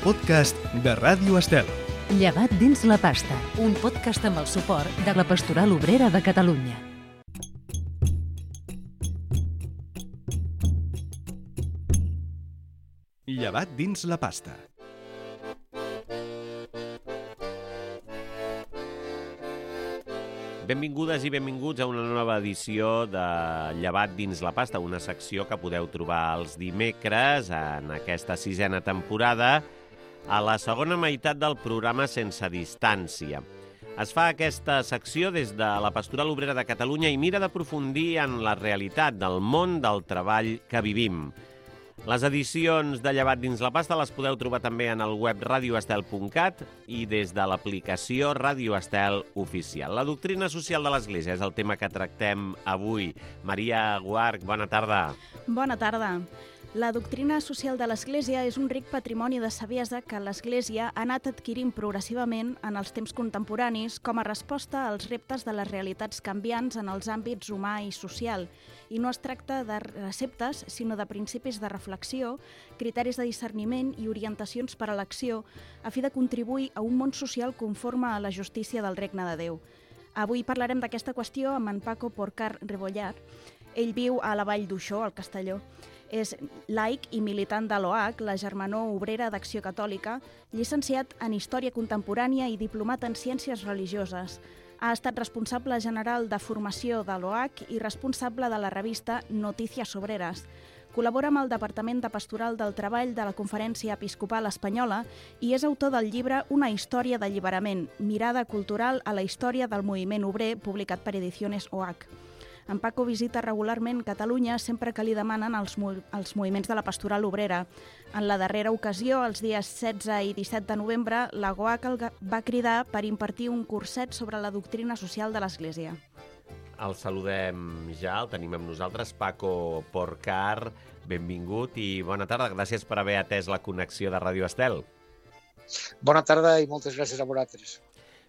podcast de Ràdio Estel. Llevat dins la pasta, un podcast amb el suport de la Pastoral Obrera de Catalunya. Llevat dins la pasta. Benvingudes i benvinguts a una nova edició de Llevat dins la pasta, una secció que podeu trobar els dimecres en aquesta sisena temporada, a la segona meitat del programa Sense Distància. Es fa aquesta secció des de la Pastoral Obrera de Catalunya i mira d'aprofundir en la realitat del món del treball que vivim. Les edicions de Llevat dins la pasta les podeu trobar també en el web radioestel.cat i des de l'aplicació Radio Estel Oficial. La doctrina social de l'Església és el tema que tractem avui. Maria Guarch, bona tarda. Bona tarda. La doctrina social de l'Església és un ric patrimoni de saviesa que l'Església ha anat adquirint progressivament en els temps contemporanis com a resposta als reptes de les realitats canviants en els àmbits humà i social. I no es tracta de receptes, sinó de principis de reflexió, criteris de discerniment i orientacions per a l'acció, a fi de contribuir a un món social conforme a la justícia del Regne de Déu. Avui parlarem d'aquesta qüestió amb en Paco Porcar Rebollar. Ell viu a la Vall d'Uixó, al Castelló. És laic i militant de l'OAC, la Germanor Obrera d'Acció Catòlica, llicenciat en Història Contemporània i diplomat en Ciències Religioses. Ha estat responsable general de formació de l'OAC i responsable de la revista Noticias Obreras. Col·labora amb el Departament de Pastoral del Treball de la Conferència Episcopal Espanyola i és autor del llibre Una història d'alliberament, mirada cultural a la història del moviment obrer, publicat per Ediciones OAC. En Paco visita regularment Catalunya sempre que li demanen els moviments de la Pastoral Obrera. En la darrera ocasió, els dies 16 i 17 de novembre, la GOAC el va cridar per impartir un curset sobre la doctrina social de l'Església. El saludem ja, el tenim amb nosaltres, Paco Porcar, benvingut i bona tarda. Gràcies per haver atès la connexió de Ràdio Estel. Bona tarda i moltes gràcies a vosaltres.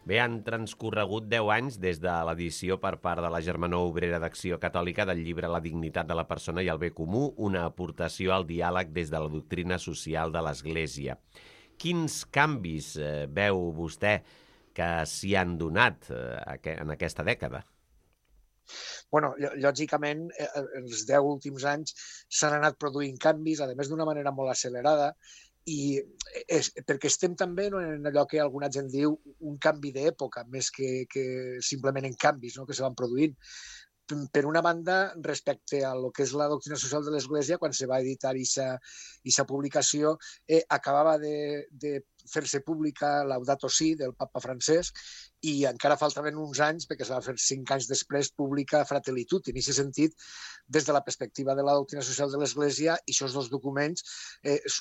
Bé, han transcorregut 10 anys des de l'edició per part de la Germanor Obrera d'Acció Catòlica del llibre La dignitat de la persona i el bé comú, una aportació al diàleg des de la doctrina social de l'Església. Quins canvis veu vostè que s'hi han donat en aquesta dècada? Bueno, lògicament, els 10 últims anys s'han anat produint canvis, a més d'una manera molt accelerada, i perquè estem també en allò que alguna gent diu un canvi d'època, més que simplement en canvis que se van produint. Per una banda, respecte a lo que és la doctrina social de l'Església, quan se va editar aquesta publicació, acabava de fer-se pública Laudato Si del papa Francesc i encara faltaven uns anys perquè es va fer 5 anys després pública Fratelli Tutti. En aquest sentit, des de la perspectiva de la doctrina social de l'Església, aquests dos documents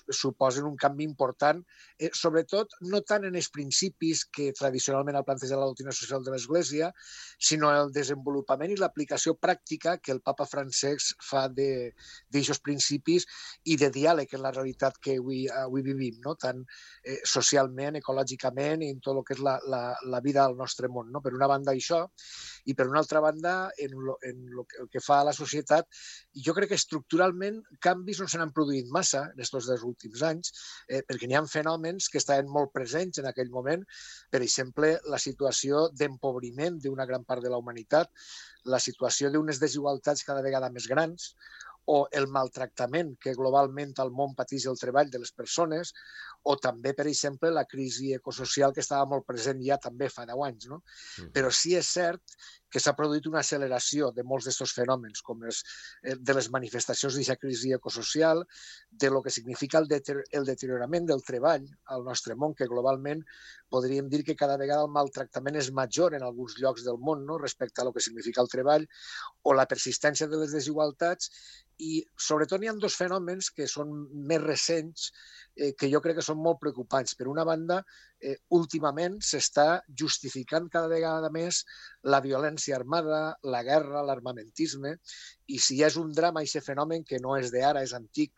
suposen un canvi important, sobretot no tant en els principis que tradicionalment ha plantejat la doctrina social de l'Església, sinó el desenvolupament i l'aplicació pràctica que el papa Francesc fa d'aquests principis i de diàleg en la realitat que avui vivim, tant socialment, ecològicament i en tot el que és la vida al nostre món. Per una banda això, i per una altra banda en el que fa a la societat, jo crec que estructuralment canvis no se n'han produït massa en aquests 2 últims anys, perquè n'hi ha fenòmens que estaven molt presents en aquell moment, per exemple, la situació d'empobriment d'una gran part de la humanitat, la situació d'unes desigualtats cada vegada més grans, o el maltractament que globalment al món pateix el treball de les persones, o també, per exemple, la crisi ecosocial que estava molt present ja també fa 10 anys. Però sí és cert que s'ha produït una acceleració de molts d'aquests fenòmens, com de les manifestacions d'aquesta crisi ecosocial, de lo que significa el deteriorament del treball al nostre món, que globalment podríem dir que cada vegada el maltractament és major en alguns llocs del món respecte a lo que significa el treball, o la persistència de les desigualtats, i sobretot hi ha 2 fenòmens que són més recents que jo crec que són molt preocupants. Per una banda, últimament s'està justificant cada vegada més la violència armada, la guerra, l'armamentisme, i si hi és un drama, aquest fenomen que no és d'ara, és antic,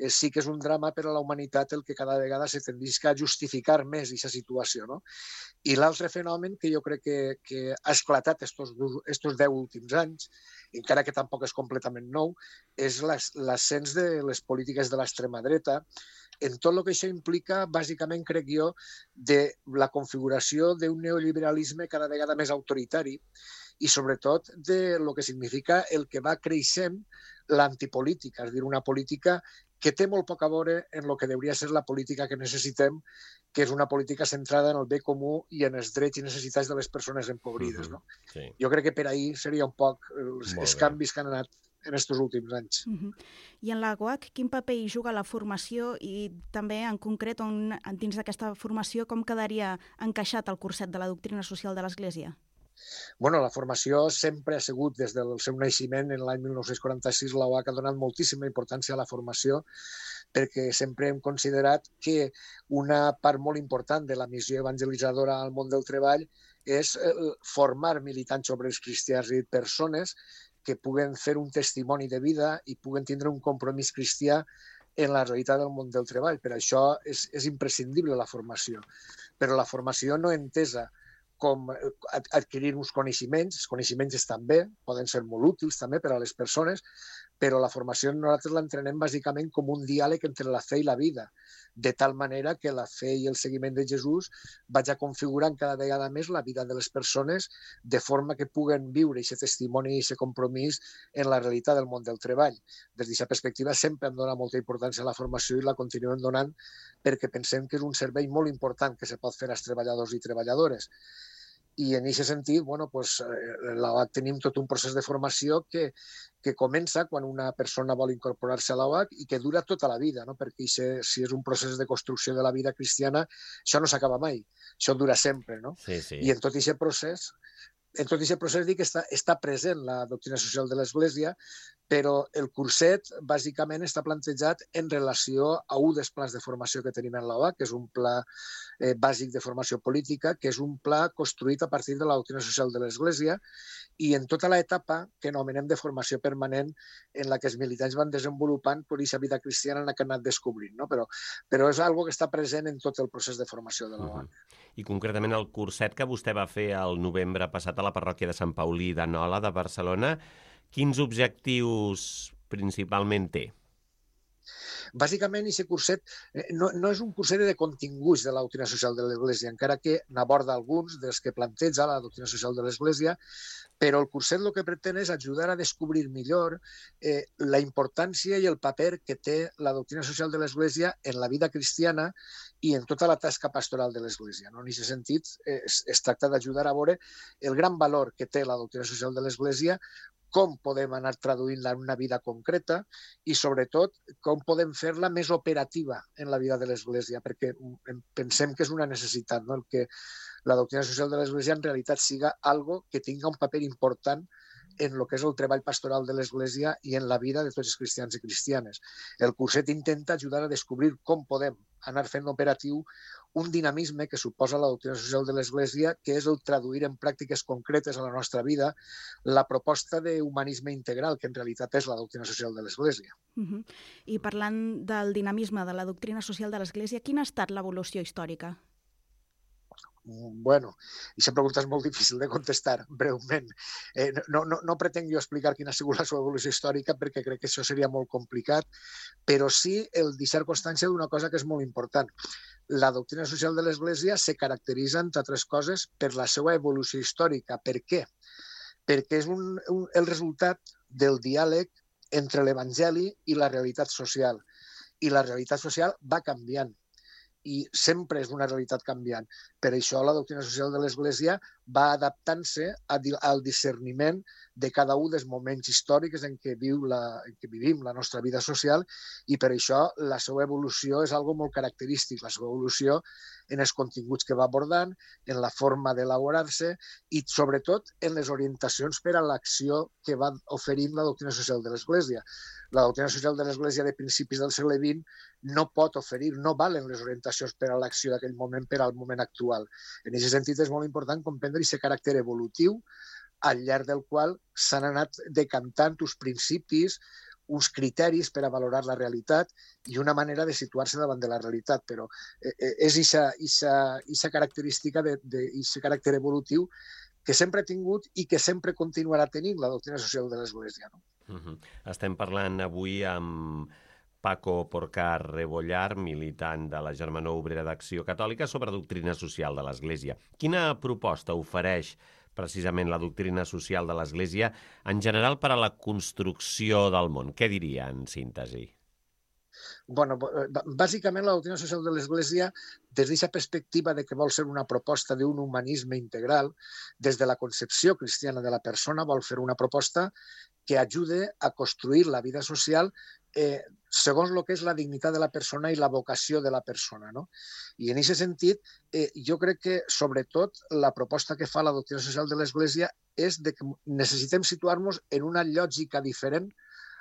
sí que és un drama per a la humanitat el que cada vegada se tendisca a justificar més aquesta situació, no? I l'altre fenomen que jo crec que ha esclatat estos 10 últims anys, encara que tampoc és completament nou, és l'ascens de les polítiques de l'extrema dreta, en tot el que això implica, bàsicament, crec jo, de la configuració d'un neoliberalisme cada vegada més autoritari i, sobretot, de lo que significa el que va creixent l'antipolítica, és a dir, una política que té molt poc a veure en el que hauria ser la política que necessitem, que és una política centrada en el bé comú i en els drets i necessitats de les persones empobrides. No? Sí. Jo crec que per ahir seria un poc els canvis que han anat en aquests últims anys. I en la UAC, quin paper hi juga la formació i també, en concret, dins d'aquesta formació, com quedaria encaixat el curset de la doctrina social de l'Església? Bueno, la formació sempre ha sigut, des del seu naixement, en l'any 1946, la UAC ha donat moltíssima importància a la formació perquè sempre hem considerat que una part molt important de la missió evangelitzadora al món del treball és formar militants obrers cristians i persones que puguen fer un testimoni de vida i puguen tindre un compromís cristià en la realitat del món del treball. Per això és imprescindible la formació. Però la formació no entesa com adquirir uns coneixements. Els coneixements estan bé, poden ser molt útils també per a les persones, però la formació nosaltres l'entrenem bàsicament com un diàleg entre la fe i la vida, de tal manera que la fe i el seguiment de Jesús vagi configurant cada vegada més la vida de les persones de forma que puguen viure aquest testimoni i aquest compromís en la realitat del món del treball. Des d'aquesta perspectiva sempre hem donat molta importància a la formació i la continuem donant perquè pensem que és un servei molt important que se pot fer als treballadors i treballadores. I en aquest sentit, tenim tot un procés de formació que comença quan una persona vol incorporar-se a l'OAC i que dura tota la vida, no? Perquè si és un procés de construcció de la vida cristiana, això no s'acaba mai, això dura sempre. No? Sí, sí. I en tot aquest procés dic que està present la doctrina social de l'Església, però el curset bàsicament està plantejat en relació a un dels plans de formació que tenim en l'OAC, que és un pla bàsic de formació política, que és un pla construït a partir de la doctrina social de l'Església i en tota l'etapa que anomenem de formació permanent en la que els militants van desenvolupant per aquesta vida cristiana en la que han anat descobrint. No? Però és algo que està present en tot el procés de formació de l'OAC. I concretament el curset que vostè va fer el novembre passat a la parròquia de Sant Paulí de Nola, de Barcelona, quins objectius principalment té? Bàsicament, aquest curset no és un curset de continguts de la doctrina social de l'Església, encara que n'aborda alguns dels que planteja la doctrina social de l'Església, però el curset el que pretén és ajudar a descobrir millor la importància i el paper que té la doctrina social de l'Església en la vida cristiana i en tota la tasca pastoral de l'Església. En aquest sentit, es tracta d'ajudar a veure el gran valor que té la doctrina social de l'Església, com podem anar traduint-la en una vida concreta i, sobretot, com podem fer-la més operativa en la vida de l'Església, perquè pensem que és una necessitat, no? El que la doctrina social de l'Església en realitat siga algo que tinga un paper important en el que és el treball pastoral de l'Església i en la vida de tots els cristians i cristianes. El curset intenta ajudar a descobrir com podem anar fent operatiu un dinamisme que suposa la doctrina social de l'Església, que és el traduir en pràctiques concretes a la nostra vida la proposta d'humanisme integral, que en realitat és la doctrina social de l'Església. I parlant del dinamisme de la doctrina social de l'Església, quina ha estat l'evolució històrica? Bueno, aquesta pregunta és molt difícil de contestar breument. No pretenc jo explicar quina ha sigut la seva evolució històrica perquè crec que això seria molt complicat, però sí el deixar constància d'una cosa que és molt important. La doctrina social de l'Església se caracteritza, entre altres coses, per la seva evolució històrica. Per què? Perquè és el resultat del diàleg entre l'Evangeli i la realitat social. I la realitat social va canviant. I sempre és una realitat canviant. Per això la doctrina social de l'Església va adaptant-se al discerniment de cada un dels moments històrics en què vivim la nostra vida social i per això la seva evolució és algo molt característic, la seva evolució en els continguts que va abordant, en la forma d'elaborar-se i sobretot en les orientacions per a l'acció que va oferint la doctrina social de l'Església. La doctrina social de l'Església de principis del segle XX no pot oferir, no valen les orientacions per a l'acció d'aquell moment per al moment actual. En aquest sentit és molt important comprendre aquest caràcter evolutiu al llarg del qual s'han anat decantant uns principis, uns criteris per a valorar la realitat i una manera de situar-se davant de la realitat, però és aquesta característica, aquest caràcter evolutiu que sempre ha tingut i que sempre continuarà tenint la doctrina social de l'Església. No? Estem parlant avui amb Paco Porcar Rebollar, militant de la Germanor Obrera d'Acció Catòlica, sobre doctrina social de l'Església. Quina proposta ofereix precisament la doctrina social de l'Església en general per a la construcció del món? Què diria en síntesi? Bueno, bàsicament la doctrina social de l'Església, des d'aquesta perspectiva de que vol ser una proposta d'un humanisme integral, des de la concepció cristiana de la persona, vol fer una proposta que ajude a construir la vida social segons el que és la dignitat de la persona i la vocació de la persona. No? I en aquest sentit, jo crec que, sobretot, la proposta que fa la doctrina social de l'Església és de que necessitem situar-nos en una lògica diferent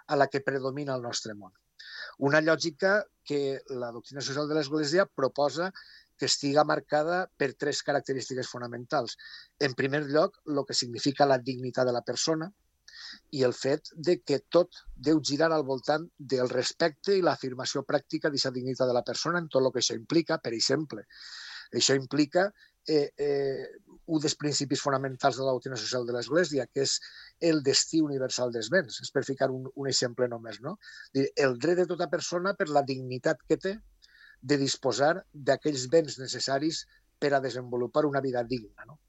a la que predomina al nostre món. Una lògica que la doctrina social de l'Església proposa que estiga marcada per 3 característiques fonamentals. En primer lloc, el que significa la dignitat de la persona, i el fet de que tot deu girar al voltant del respecte i l'afirmació pràctica d'aquesta dignitat de la persona en tot el que això implica. Per exemple, això implica un dels principis fonamentals de la doctrina social de l'Església, que és el destí universal dels béns. És per ficar un exemple només. No? El dret de tota persona per la dignitat que té de disposar d'aquells béns necessaris per a desenvolupar una vida digna. No?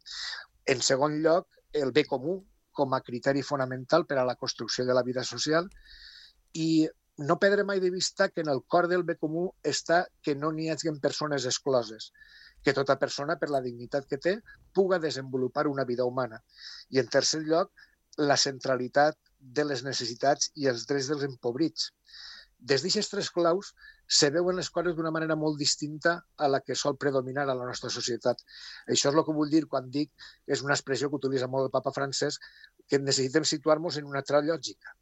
En segon lloc, el bé comú, com a criteri fonamental per a la construcció de la vida social, i no perdre mai de vista que en el cor del bé comú està que no n'hi hagi persones excloses, que tota persona, per la dignitat que té, puga desenvolupar una vida humana. I, en tercer lloc, la centralitat de les necessitats i els drets dels empobrits. Des d'aquestes 3 claus se veuen les coses d'una manera molt distinta a la que sol predominar a la nostra societat. Això és el que vull dir quan dic, és una expressió que utilitza molt el papa Francesc, que necessitem situar-nos en una altra lògica.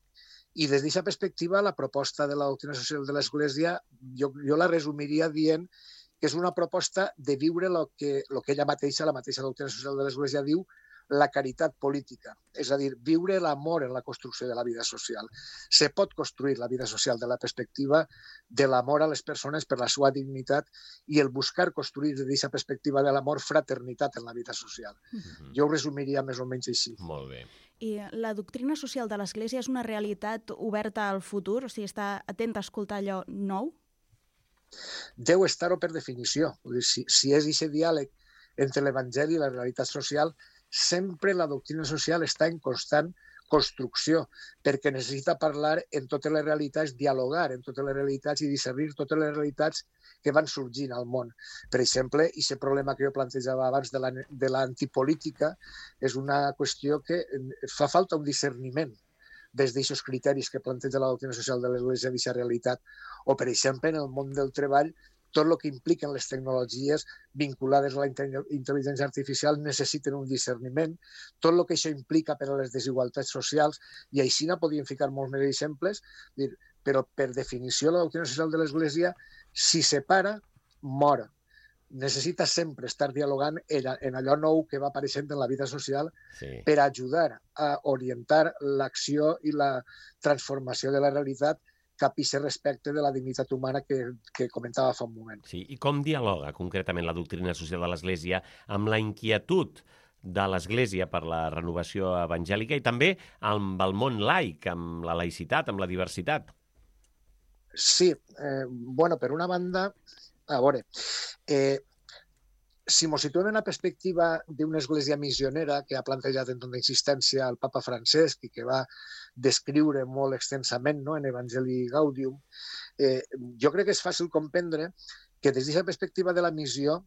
I des d'aquesta perspectiva, la proposta de la doctrina social de l'Església, jo la resumiria dient que és una proposta de viure el que ella mateixa, la mateixa doctrina social de l'Església diu, la caritat política, és a dir, viure l'amor en la construcció de la vida social. Se pot construir la vida social de la perspectiva de l'amor a les persones per la seva dignitat i el buscar construir des d'aquesta perspectiva de l'amor fraternitat en la vida social. Jo ho resumiria més o menys així. Molt bé. I la doctrina social de l'Església és una realitat oberta al futur? O sigui, està atent a escoltar allò nou? Deu estar-ho per definició. Si és aquest diàleg entre l'Evangeli i la realitat social, sempre la doctrina social està en constant construcció, perquè necessita parlar en totes les realitats, dialogar en totes les realitats i discernir totes les realitats que van sorgint al món. Per exemple, aquest problema que jo plantejava abans de l'antipolítica és una qüestió que fa falta un discerniment des d'aquests criteris que planteja la doctrina social de l'Església d'aquesta realitat. O, per exemple, en el món del treball, tot el que impliquen les tecnologies vinculades a la intel·ligència artificial necessiten un discerniment, tot el que això implica per a les desigualtats socials, i així podríem ficar molts més exemples, però per definició la doctrina social de l'Església, si separa, mor. Necessita sempre estar dialogant en allò nou que va apareixent en la vida social per ajudar a orientar l'acció i la transformació de la realitat cap a aquest respecte de la dignitat humana que comentava fa un moment. Sí, i com dialoga concretament la doctrina social de l'Església amb la inquietud de l'Església per la renovació evangèlica i també amb el món laic, amb la laïcitat, amb la diversitat? Sí, per una banda, a veure, si ens situem en la perspectiva d'una església missionera que ha plantejat en tota insistència el papa Francesc i que va descriure molt extensament en Evangelii Gaudium, jo crec que és fàcil comprendre que des d'aquesta perspectiva de la missió,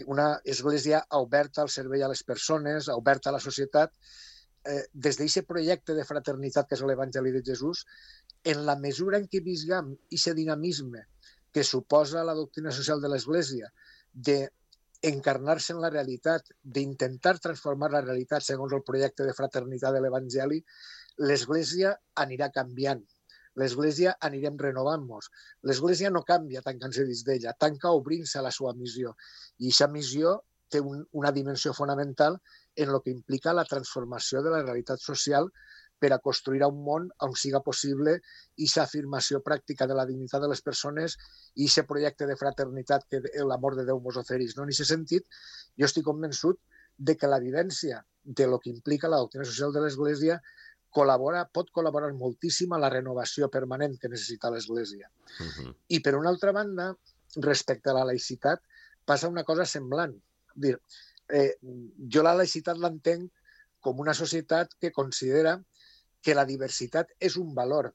una església oberta al servei a les persones, oberta a la societat, des d'aquest projecte de fraternitat que és l'Evangeli de Jesús, en la mesura en què visguem aquest dinamisme que suposa la doctrina social de l'Església, d'encarnar-se en la realitat, d'intentar transformar la realitat segons el projecte de fraternitat de l'Evangeli, l'Església anirà canviant. L'Església anirem renovant-nos. L'Església no canvia tancant-se dins d'ella, tanca obrint-se a la seva missió. I aquesta missió té una dimensió fonamental en el que implica la transformació de la realitat social per a construir un món on siga possible aquesta afirmació pràctica de la dignitat de les persones i aquest projecte de fraternitat que l'amor de Déu mos ofereix. En aquest sentit, jo estic convençut de que la vivència de lo que implica la doctrina social de l'Església pot col·laborar moltíssim a la renovació permanent que necessita l'Església. I, per una altra banda, respecte a la laïcitat, passa una cosa semblant. Jo la laïcitat l'entenc com una societat que considera que la diversitat és un valor.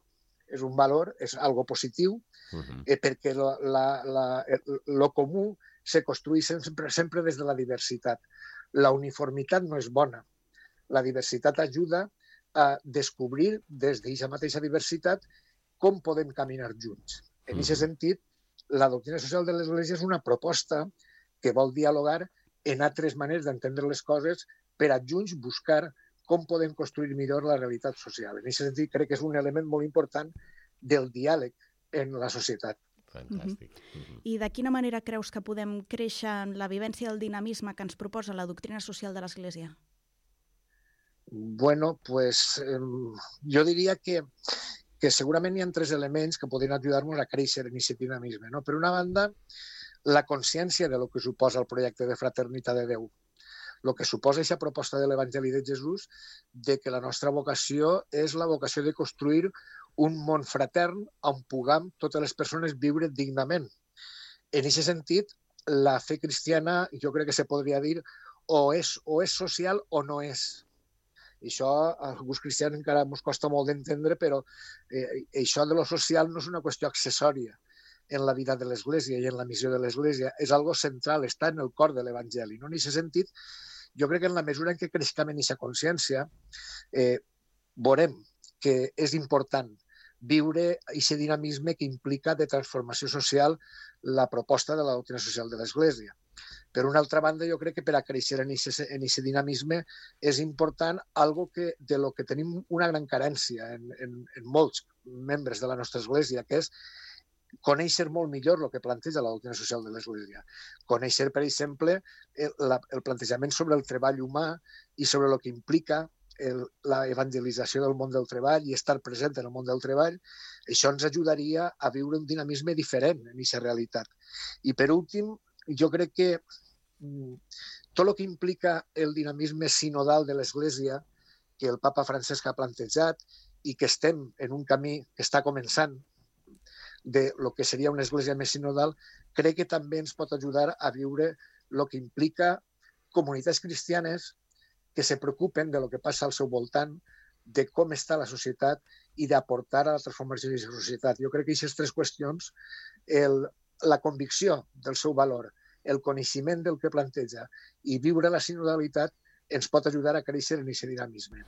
És un valor, és algo positiu, perquè lo comú se construeix sempre des de la diversitat. La uniformitat no és bona. La diversitat ajuda a descobrir des d'aquesta mateixa diversitat com podem caminar junts. En aquest sentit, la doctrina social de l'Església és una proposta que vol dialogar en altres maneres d'entendre les coses per a junts buscar com podem construir millor la realitat social. En aquest sentit, crec que és un element molt important del diàleg en la societat. Fantàstic. I de quina manera creus que podem créixer en la vivència del dinamisme que ens proposa la doctrina social de l'Església? Bueno, pues jo diria que segurament hi ha 3 elements que podrien ajudar-nos a créixer en aquest dinamisme. No? Per una banda, la consciència de lo que suposa el projecte de fraternitat de Déu. El que suposa aquesta proposta de l'Evangeli de Jesús de que la nostra vocació és la vocació de construir un món fratern on puguem totes les persones viure dignament. En aquest sentit, la fe cristiana, jo crec que se podria dir, o és social o no és. I això a alguns cristians encara ens costa molt d'entendre, però això de lo social no és una qüestió accessòria en la vida de l'Església i en la missió de l'Església. És algo central, està en el cor de l'Evangeli. En aquest sentit, jo crec que en la mesura en què creixem en aquesta consciència, veurem que és important viure aquest dinamisme que implica de transformació social la proposta de la doctrina social de l'Església. Per una altra banda, jo crec que per a créixer en aquest dinamisme és important algo de lo que tenim una gran carència en molts membres de la nostra Església, que és conèixer molt millor el que planteja la doctrina social de l'Església. Conèixer, per exemple, el plantejament sobre el treball humà i sobre el que implica la evangelització del món del treball i estar present en el món del treball. Això ens ajudaria a viure un dinamisme diferent en aquesta realitat. I per últim, jo crec que tot el que implica el dinamisme sinodal de l'Església, que el papa Francesc ha plantejat i que estem en un camí que està començant de lo que seria una església més sinodal, crec que també ens pot ajudar a viure el que implica comunitats cristianes que se preocupen de lo que passa al seu voltant, de com està la societat i d'aportar a la transformació de la societat. Jo crec que aquestes 3 qüestions, la convicció del seu valor, el coneixement del que planteja i viure la sinodalitat ens pot ajudar a créixer en aquest dinamisme.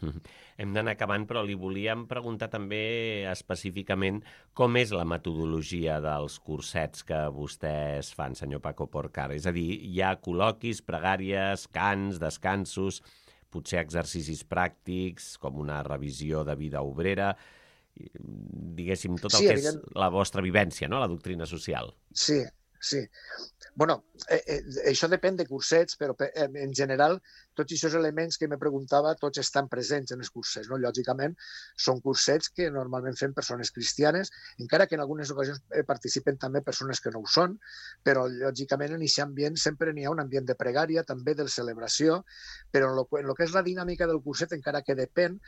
Hem d'anar acabant, però li volíem preguntar també específicament com és la metodologia dels cursets que vostès fan, senyor Paco Porcar. És a dir, hi ha col·loquis, pregàries, cants, descansos, potser exercicis pràctics, com una revisió de vida obrera, diguéssim, tot el que és la vostra vivència, no?, la doctrina social. Sí. Bueno, això depèn de cursets, però en general tots aquests elements que me preguntava tots estan presents en els cursets. No? Lògicament, són cursets que normalment fem persones cristianes, encara que en algunes ocasions participen també persones que no ho són, però lògicament en aquest ambient sempre n'hi ha un ambient de pregària, també de celebració, però en el que és la dinàmica del curset, encara que depèn,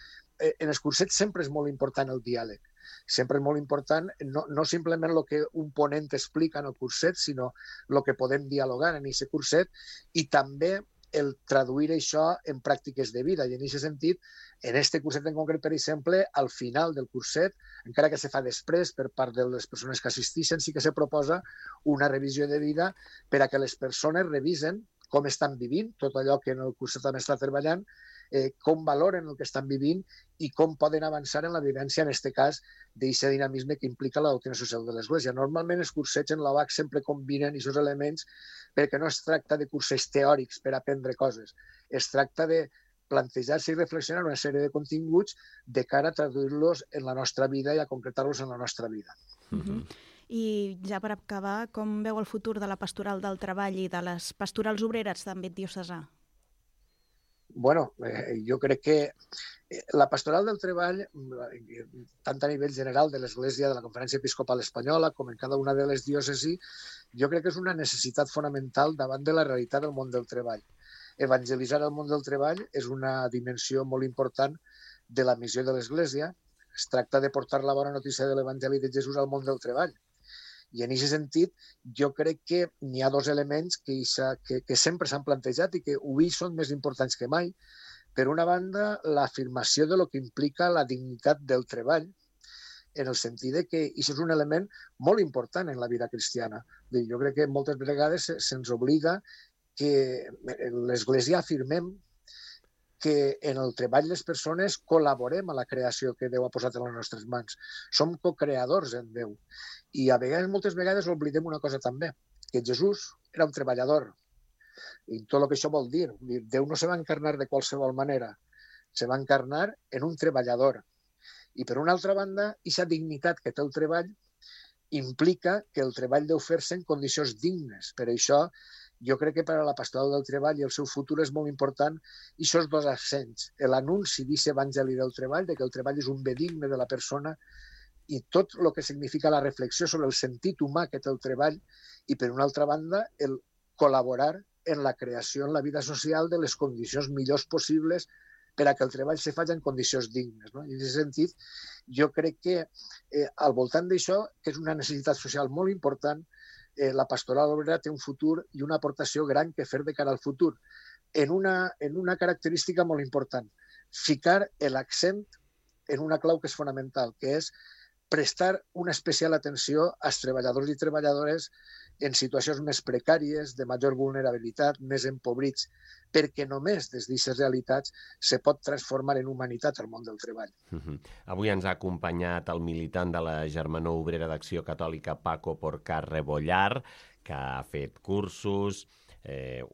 en els cursets sempre és molt important el diàleg. Sempre és molt important, no simplement el que un ponent explica en el curset, sinó el que podem dialogar en aquest curset i també el traduir això en pràctiques de vida. I en aquest sentit, en aquest curset en concret, per exemple, al final del curset, encara que se fa després per part de les persones que assisteixen, sí que se proposa una revisió de vida per a que les persones revisen com estan vivint, tot allò que en el curset també està treballant, com valoren el que estan vivint i com poden avançar en la vivència, en aquest cas, d'aquest dinamisme que implica la doctrina social de l'Església. Normalment els cursets en l'OAC sempre combinen aquests elements perquè no es tracta de cursos teòrics per aprendre coses, es tracta de plantejar-se i reflexionar una sèrie de continguts de cara a traduir-los en la nostra vida i a concretar-los en la nostra vida. I ja per acabar, com veu el futur de la pastoral del treball i de les pastorals obreres d'àmbit diocesà? jo crec que la pastoral del treball, tant a nivell general de l'Església, de la Conferència Episcopal Espanyola, com en cada una de les diòcesis, jo crec que és una necessitat fonamental davant de la realitat del món del treball. Evangelitzar el món del treball és una dimensió molt important de la missió de l'Església. Es tracta de portar la bona notícia de l'Evangeli de Jesús al món del treball. I en aquest sentit, jo crec que n'hi ha dos elements que sempre s'han plantejat i que avui són més importants que mai. Per una banda, l'afirmació de lo que implica la dignitat del treball, en el sentit que això és un element molt important en la vida cristiana. Jo crec que moltes vegades se'ns oblida que l'Església afirmem que en el treball les persones col·laborem a la creació que Déu ha posat en les nostres mans. Som co-creadors en Déu. I moltes vegades oblidem una cosa també, que Jesús era un treballador. I tot el que això vol dir. Déu no se va encarnar de qualsevol manera. Se va encarnar en un treballador. I per una altra banda, aquesta dignitat que té el treball implica que el treball deu fer-se en condicions dignes. Per això, jo crec que per a la pastoral del treball i el seu futur és molt important aquests dos accents. L'anunci d'aquest evangeli del treball, que el treball és un bé digne de la persona, i tot el que significa la reflexió sobre el sentit humà que té el treball, i per una altra banda, el col·laborar en la creació, en la vida social, de les condicions millors possibles per a que el treball se faci en condicions dignes. I en aquest sentit, jo crec que al voltant d'això, que és una necessitat social molt important, la pastoral obrera té un futur i una aportació gran que fer de cara al futur, en una característica molt important, ficar l'accent en una clau que és fonamental, que és prestar una especial atenció als treballadors i treballadores en situacions més precàries, de major vulnerabilitat, més empobrits, perquè només des d'aquestes realitats se pot transformar en humanitat el món del treball. Avui ens ha acompanyat el militant de la Germanor Obrera d'Acció Catòlica, Paco Porcar Rebollar, que ha fet cursos,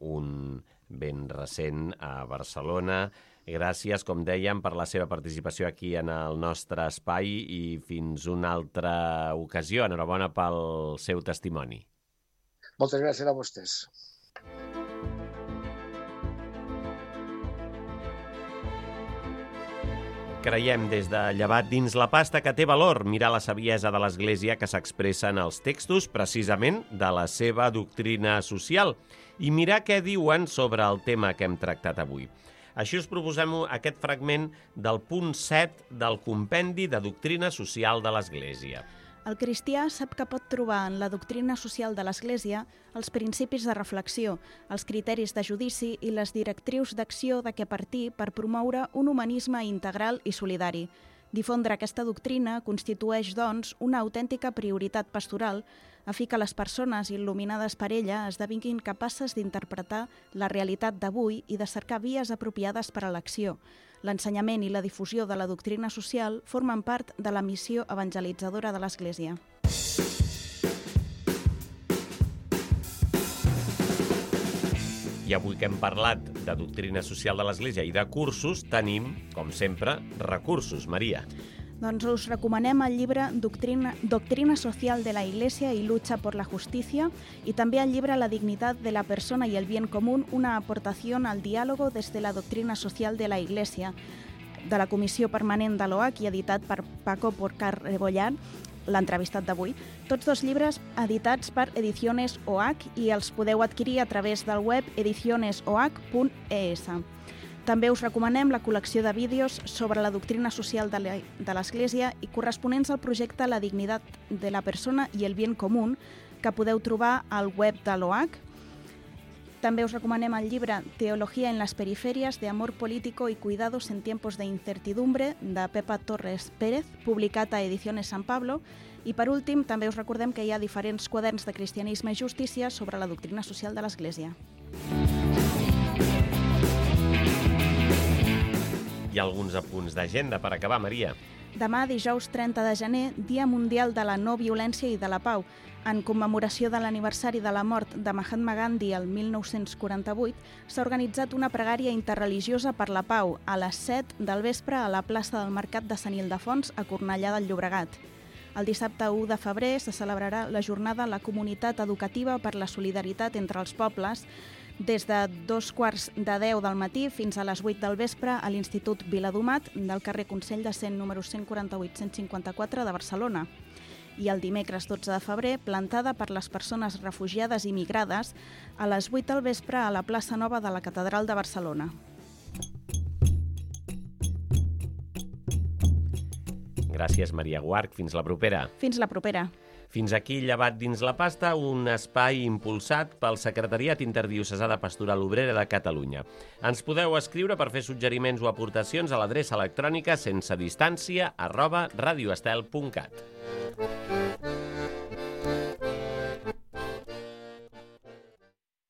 un ben recent a Barcelona. Gràcies, com dèiem, per la seva participació aquí en el nostre espai i fins una altra ocasió. Enhorabona pel seu testimoni. Moltes gràcies a vostès. Creiem des de Llevat dins la pasta que té valor mirar la saviesa de l'Església que s'expressa en els textos precisament de la seva doctrina social i mirar què diuen sobre el tema que hem tractat avui. Així us proposem aquest fragment del punt 7 del Compendi de Doctrina Social de l'Església. El cristià sap que pot trobar en la doctrina social de l'Església els principis de reflexió, els criteris de judici i les directrius d'acció de què partir per promoure un humanisme integral i solidari. Difondre aquesta doctrina constitueix, doncs, una autèntica prioritat pastoral a fi que les persones il·luminades per ella esdevinguin capaces d'interpretar la realitat d'avui i de cercar vies apropiades per a l'acció. L'ensenyament i la difusió de la doctrina social formen part de la missió evangelitzadora de l'Església. I avui que hem parlat de doctrina social de l'Església i de cursos, tenim, com sempre, recursos. Maria. Doncs us recomanem el llibre Doctrina Social de la Iglesia y Lucha por la Justicia y també el llibre La dignidad de la persona y el bien común, una aportación al diálogo desde la doctrina social de la Iglesia, de la Comissió Permanent de l'OAC i editat per Paco Porcar Rebollar, l'entrevistat d'avui. Tots dos llibres editats per Ediciones OAC i els podeu adquirir a través del web edicionesoac.es. També us recomanem la col·lecció de vídeos sobre la doctrina social de l'Església i corresponents al projecte La dignidad de la persona y el bien común, que podeu trobar al web de l'OAC. També us recomanem el llibre Teología en las periferias, de amor político y cuidados en tiempos de incertidumbre, de Pepa Torres Pérez, publicat a Ediciones San Pablo. I per últim, també us recordem que hi ha diferents quaderns de cristianisme i justícia sobre la doctrina social de l'Església. Hi ha alguns apunts d'agenda per acabar, Maria. Demà, dijous 30 de gener, Dia Mundial de la No Violència i de la Pau. En commemoració de l'aniversari de la mort de Mahatma Gandhi el 1948, s'ha organitzat una pregària interreligiosa per la pau a les 7 del vespre a la plaça del Mercat de Sant Ildefons, a Cornellà del Llobregat. El dissabte 1 de febrer se celebrarà la jornada La Comunitat Educativa per la Solidaritat entre els Pobles, des de 2:45 del matí fins a les 8 del vespre a l'Institut Viladomat del carrer Consell de Cent, número 148-154 de Barcelona. I el dimecres 12 de febrer, plantada per les persones refugiades i migrades a les 8 del vespre a la plaça Nova de la Catedral de Barcelona. Gràcies, Maria Guarch. Fins la propera. Fins la propera. Fins aquí Llevat dins la pasta, un espai impulsat pel Secretariat Interdiocesà de Pastoral Obrera de Catalunya. Ens podeu escriure per fer suggeriments o aportacions a l'adreça electrònica sensedistància@radioestel.cat.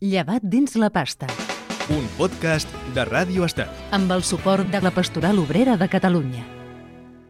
Llevat dins la pasta. Un podcast de Ràdio Estel. Amb el suport de la Pastoral Obrera de Catalunya.